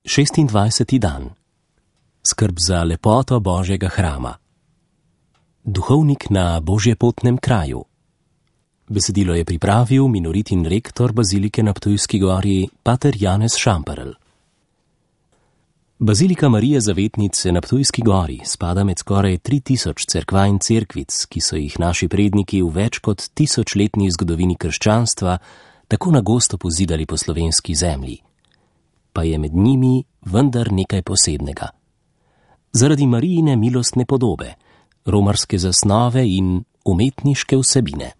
26. dan. Skrb za lepoto Božjega hrama. Duhovnik na božjepotnem kraju. Besedilo je pripravil minoritin rektor bazilike na Ptujski gori, pater Janez Šamperl. Bazilika Marije Zavetnice na Ptujski gori spada med skoraj 3000 cerkva in cerkvic, ki so jih naši predniki v več kot 1000-letni zgodovini krščanstva tako na gosto pozidali po slovenski zemlji. Pa je med njimi vendar nekaj posebnega. Zaradi Marijine milostne podobe, romarske zasnove in umetniške vsebine.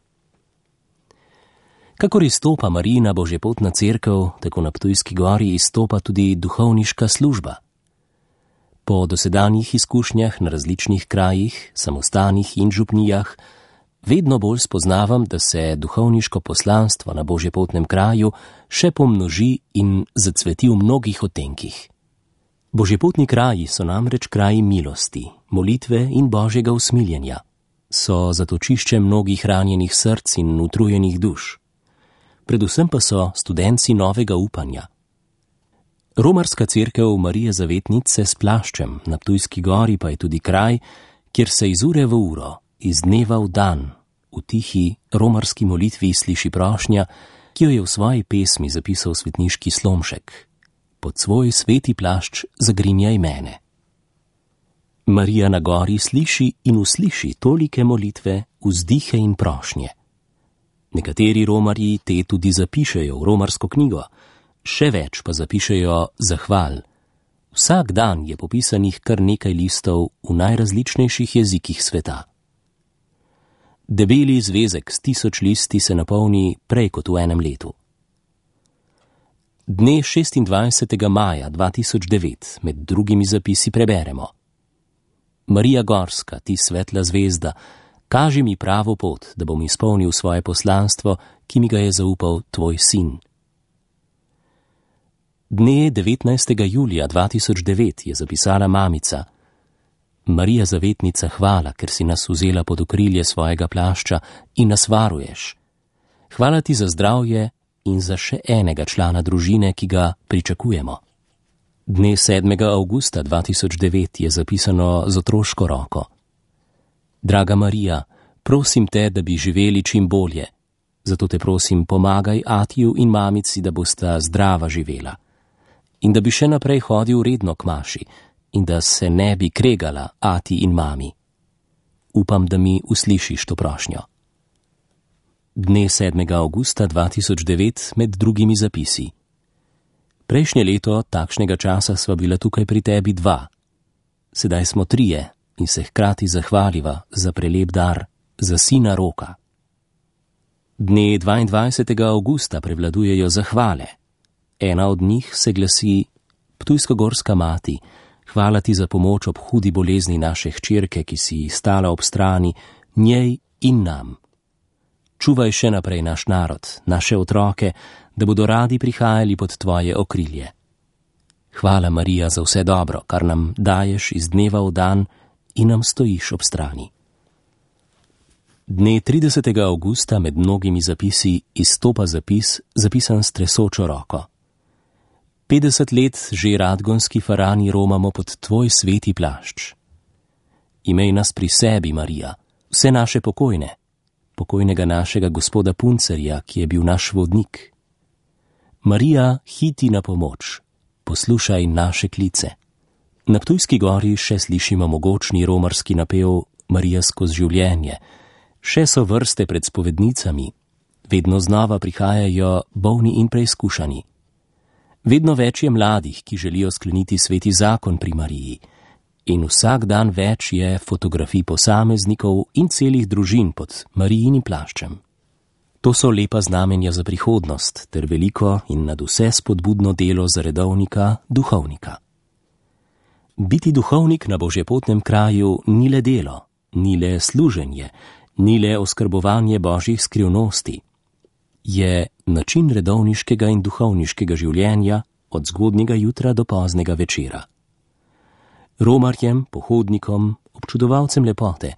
Kakor izstopa Marijina božjepotna cerkev, tako na Ptujski gori izstopa tudi duhovniška služba. Po dosedanjih izkušnjah na različnih krajih, samostanih in župnijah, vedno bolj spoznavam, da se duhovniško poslanstvo na božjepotnem kraju še pomnoži in zacveti v mnogih odtenkih. Božjepotni kraji so namreč kraji milosti, molitve in božjega usmiljenja. So zatočišče mnogih ranjenih src in utrujenih duš. Predvsem pa so studenci novega upanja. Romarska cerkev Marije Zavetnice s plaščem na Ptujski gori pa je tudi kraj, kjer se iz ure v uro, iz dneva v dan, v tihi romarski molitvi sliši prošnja, ki jo je v svoji pesmi zapisal svetniški Slomšek. Pod svoj sveti plašč zagrinjaj mene. Marija na gori sliši in usliši tolike molitve, vzdihe in prošnje. Nekateri romarji te tudi zapišejo v romarsko knjigo, še več pa zapišejo zahval. Vsak dan je popisanih kar nekaj listov v najrazličnejših jezikih sveta. Debeli zvezek s 1000 listi se napolni prej kot v enem letu. Dne 26. maja 2009 med drugimi zapisi preberemo: Marija Gorska, ti svetla zvezda, kaži mi pravo pot, da bom izpolnil svoje poslanstvo, ki mi ga je zaupal tvoj sin. Dne 19. julija 2009 je zapisala mamica: Marija Zavetnica, hvala, ker si nas vzela pod okrilje svojega plašča in nas varuješ. Hvala ti za zdravje in za še enega člana družine, ki ga pričakujemo. Dne 7. avgusta 2009 je zapisano z otroško roko: Draga Marija, prosim te, da bi živeli čim bolje. Zato te prosim, pomagaj atiju in mamici, da bosta zdrava živela. In da bi še naprej hodil redno k maši in da se ne bi kregala ati in mami. Upam, da mi uslišiš to prošnjo. Dne 7. avgusta 2009 med drugimi zapisi: Prejšnje leto takšnega časa sva bila tukaj pri tebi 2. Sedaj smo 3 in se hkrati zahvaliva za prelep dar, za sina Roka. Dne 22. avgusta prevladujejo zahvale. Ena od njih se glasi: Ptujskogorska mati, hvala ti za pomoč ob hudi bolezni naše hčerke, ki si stala ob strani njej in nam. Čuvaj še naprej naš narod, naše otroke, da bodo radi prihajali pod tvoje okrilje. Hvala, Marija, za vse dobro, kar nam daješ iz dneva v dan in nam stojiš ob strani. Dne 30. avgusta med mnogimi zapisi izstopa zapis, zapisan s tresočo roko: 50 let že radgonski farani romamo pod tvoj sveti plašč. Imej nas pri sebi, Marija, vse naše pokojne, pokojnega našega gospoda Puncerja, ki je bil naš vodnik. Marija, hiti na pomoč, poslušaj naše klice. Na Ptujski gori še slišimo mogočni romarski napev Marija skozi življenje, še so vrste pred spovednicami, vedno znova prihajajo bolni in preizkušani. Vedno več je mladih, ki želijo skleniti sveti zakon pri Mariji, in vsak dan več je fotografij posameznikov in celih družin pod Marijinim plaščem. To so lepa znamenja za prihodnost ter veliko in nadvse spodbudno delo za redovnika, duhovnika. Biti duhovnik na božjepotnem kraju ni le delo, ni le služenje, ni le oskrbovanje božjih skrivnosti. Je način redovniškega in duhovniškega življenja od zgodnjega jutra do poznega večera. Romarjem, pohodnikom, občudovalcem lepote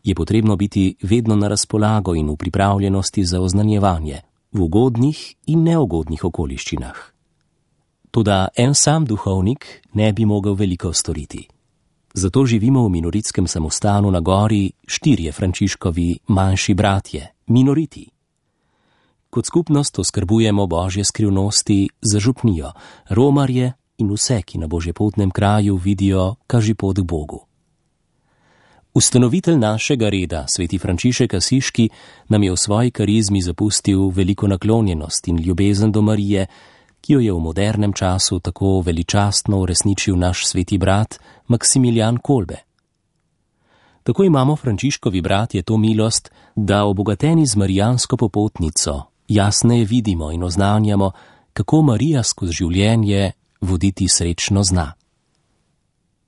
je potrebno biti vedno na razpolago in v pripravljenosti za oznanjevanje v ugodnih in neugodnih okoliščinah. Toda en sam duhovnik ne bi mogel veliko storiti. Zato živimo v minoritskem samostanu na gori 4 Frančiškovi manjši bratje, minoriti. Kot skupnost oskrbujemo božje skrivnosti za župnijo, romarje in vse, ki na božjepotnem kraju vidijo kažipot k Bogu. Ustanovitelj našega reda, sveti Frančišek Asiški, nam je v svoji karizmi zapustil veliko naklonjenost in ljubezen do Marije, ki jo je v modernem času tako veličastno uresničil naš sveti brat Maksimilijan Kolbe. Tako imamo Frančiškovi bratje to milost, da obogateni z marijansko popotnico jasneje vidimo in oznanjamo, kako Marija skozi življenje voditi srečno zna.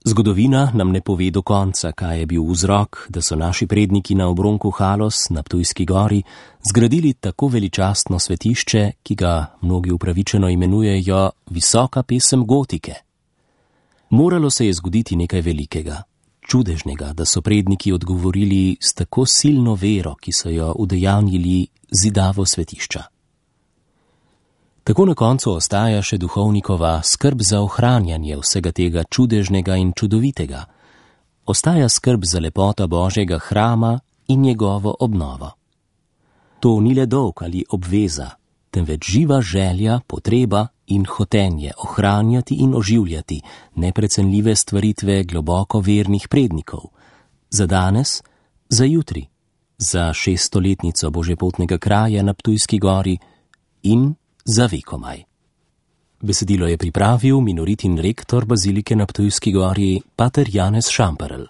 Zgodovina nam ne pove do konca, kaj je bil vzrok, da so naši predniki na obronku Halos na Ptujski gori zgradili tako veličastno svetišče, ki ga mnogi upravičeno imenujejo visoka pesem gotike. Moralo se je zgoditi nekaj velikega, čudežnega, da so predniki odgovorili s tako silno vero, ki so jo udejanjili zidavo svetišča. Tako na koncu ostaja še duhovnikova skrb za ohranjanje vsega tega čudežnega in čudovitega. Ostaja skrb za lepoto Božjega hrama in njegovo obnovo. To ni le dolg ali obveza, temveč živa želja, potreba in hotenje ohranjati in oživljati neprecenljive stvaritve globoko vernih prednikov. Za danes, za jutri, za 600-letnico božjepotnega kraja na Ptujski gori in za vekomaj. Besedilo je pripravil minoritin rektor bazilike na Ptujski gori, pater Janez Šamperl.